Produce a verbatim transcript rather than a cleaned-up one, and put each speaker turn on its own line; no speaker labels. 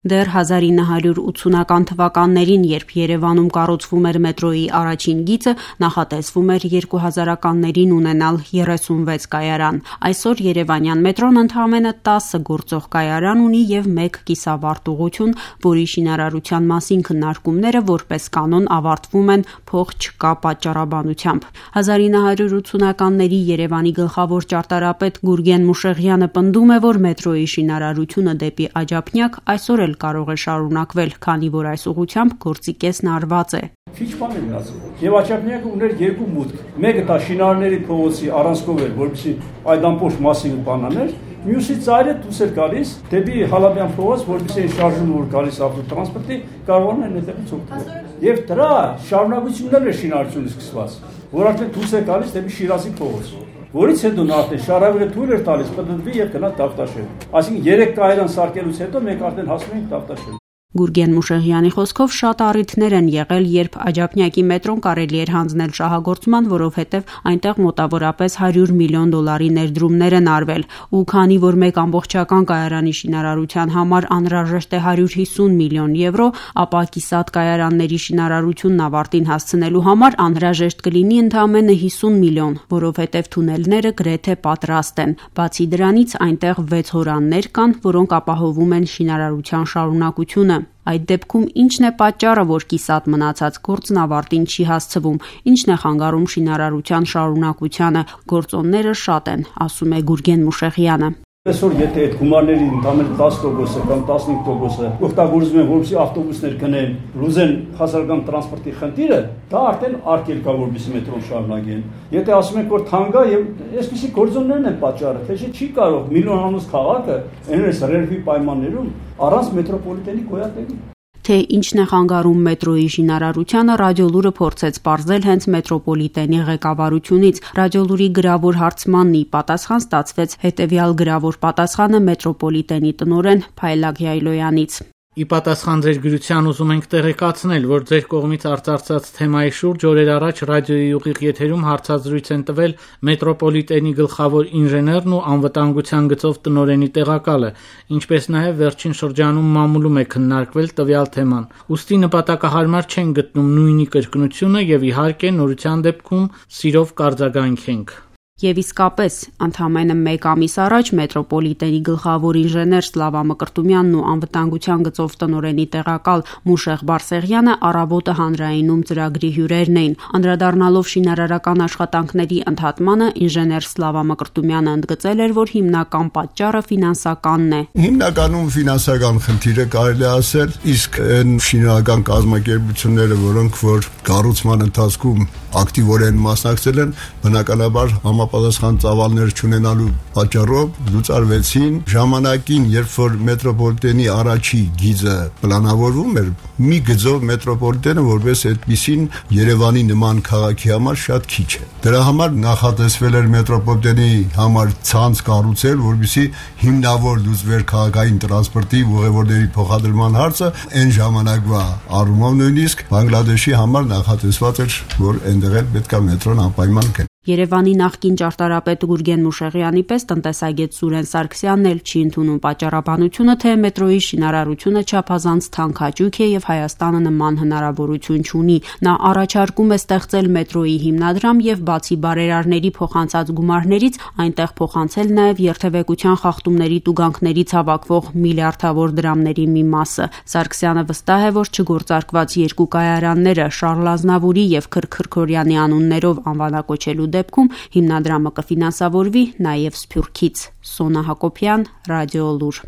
Դեռ հազար ինը հարյուր ութսունական թվականներին, երբ Երևանում կառուցվում էր մետրոյի առաջին գիծը, նախատեսվում էր երկու հազարականներին ունենալ երեսունվեց կայարան։ Այսօր երևանյան մետրոն ընդամենը տասը գործող կայարան ունի եւ մեկ կիսավարտուղություն, որի շինարարության մասին քննարկումները որպես կանոն ավարտվում են փող չկա պատճառաբանությամբ։ հազար ինը հարյուր ութսունականների Երևանի գլխավոր ճարտարապետ Գուրգեն Մուշեղյանը պնդում է, որ մետրոյի շինարարությունը դեպի Աջափնյակ այսօր էլ կարող է շարունակվել, քանի որ այս ուղղությամբ գործի կեսն արված է։
Քիչ բան է մնացել։ Եվ Աջափնյակը ուներ երկու մուտք։ Մեկը դա շինարարների փողոցի առանցքով էր, որպեսզի այդ ամբողջ մասիվը բանաներ, մյուսի ծայրը դուրս էր գալիս դեպի Հալաբյան փողոց, որպեսզի շարժումը որ գալիս ավտոտրանսպորտի կարողանան այդտեղից օգտվել։ Եվ դրա շարունակությունն էր շինարարությունը սկսված, որ արդեն դուրս է գալիս դեպի Շիրազի փողոց, որից հետո նա արդեն շարավերը թույլ էր տալիս պտտվի եւ գնա Տավտաշեն։ Այսինքն երեք կայարան սարքելուց հետո մենք արդեն հասնում ենք Տավտաշեն։
Գուրգեն Մուշեղյանի խոսքով շատ առիթներ են եղել, երբ Աջափնյակի մետրոն կարելի էր հանձնել շահագործման, որովհետև այնտեղ մոտավորապես հարյուր միլիոն դոլարի ներդրումներ են արվել, ու քանի որ մեկ ամբողջական կայարանի շինարարության համար անհրաժեշտ է հարյուր հիսուն միլիոն եվրո, ապա կիսատ կայարանների շինարարությունն ավարտին հասցնելու համար անհրաժեշտ կլինի ընդամենը հիսուն միլիոն, որովհետև թունելները գրեթե պատրաստ են։ Բացի դրանից այնտեղ վեց հորաններ կան, որոնք ապահովում են շինարարության շարունակությունը։ Այդ դեպքում ինչն է պատճառը, որ կիսատ մնացած գործն ավարտին չի հասցվում, ինչն է խանգարում շինարարության շարունակությանը։ Գործոնները շատ են, ասում է Գուրգեն Մուշեղյանը։
Այսօր եթե այդ գումարների ընդամենը տասը տոկոսը կամ տասնհինգ տոկոսը օգտագործվում են, որպեսզի ավտոբուսներ գնեն, լուծեն հասարակական տրանսպորտի խնդիրը, դա արդեն արգելք է, որպեսզի մետրոն շարունակեն։ Եթե ասում ենք, որ թանկ է եւ այսպիսի գործոններն են պատճառը, թե չի կարող միլիոնանոց քաղաքը այնպես ռելվի պայմաններում առանց մետրոպոլիտենի գոյատևի։
Թե ինչն է խանգարում մետրոյի շինարարությանը, Ռադիոլուրը փորձեց պարզել հենց մետրոպոլիտենի ղեկավարությունից։ Ռադիոլուրի գրավոր հարցմանն ի պատասխան ստացվեց հետևյալ գրավոր պատասխանը մետրոպոլիտենի տնօրեն Փայլակ Յայլոյանից։
Ի պատասխան ձեր գրության ուզում ենք տեղեկացնել, որ ձեր կողմից արծարծած թեմայի շուրջ օրեր առաջ ռադիոյի ուղիղ եթերում հարցազրույց են տվել մետրոպոլիտենի գլխավոր ինժեներն ու անվտանգության գծով տնօրենի տեղակալը, ինչպես նաև վերջին շրջանում մամուլում է քննարկվել տվյալ թեման։ Ուստի նպատակահարմար չեն գտնում նույնի կրկնությունը եւ իհարկե նորության դեպքում սիրով կարձագանքենք։
Եվ իսկապես, ընդամենը մեկ ամիս առաջ մետրոպոլիտենի գլխավոր ինժեներ Սլավա Մկրտումյանն ու անվտանգության գծով տնօրենի տեղակալ Մուշեղ Բարսեղյանը առավոտը հանրայինում ծրագրի հյուրերն էին։ Անդրադառնալով շինարարական աշխատանքների ընդհատմանը, ինժեներ Սլավա Մկրտումյանը ընդգծել էր, որ հիմնական պատճառը ֆինանսականն է։
Հիմնականում ֆինանսական խնդիրը կարելի ասել, իսկ այն շինարարական կազմակերպությունները, որոնք որ կառուցման ընթացքում ակտիվորեն մասնակցել են, բնականաբար համապատասխան ծավալներ չունենալու պատճառով լուծարվեցին։ Ժամանակին, երբ որ մետրոպոլիտենի առաջի գիծը պլանավորվում էր, մի գծով մետրոպոլիտենը որպես այդպիսին Երևանի նման քաղաքի համար շատ քիչ է։ Դրա համար նախատեսվել էր մետրոպոլիտենի համար ցանց կառուցել, որպեսզի հիմնավոր լուծվեր քաղաքային տրանսպորտի ուղևորների փոխադրման հարցը, այն ժամանակվա առումով նույնիսկ Բանգլադեշի համար նախատեսված էր, որ այնտեղ էլ պետք է մետրոն անպայման գնա։
Երևանի նախկին ճարտարապետ Գուրգեն Մուշեղյանի պես տնտեսագետ Սուրեն Սարգսյանն էլ չի ընդունում պատճառաբանությունը, թե մետրոյի շինարարությունը չափազանց թանքաճույք է եւ Հայաստանը նման հնարավորություն չունի։ Նա առաջարկում է ստեղծել մետրոյի հիմնադրամ եւ բացի բարերարների փոխանցած գումարներից այնտեղ փոխանցել նաեւ երթևեկության խախտումների տուգանքներից հավաքվող միլիարդավոր դրամների մի մասը։ Սարգսյանը վստահ է, որ չգործարկված երկու կայարանները Շարլ Ազնավուրի եւ Քրքրքորյանի անուններով անվանակոչելու դեպքում հիմնադրամը կֆինանսավորվի նաև Սփյուռքից։ Սոնա Հակոբյան, Ռադիոլուր։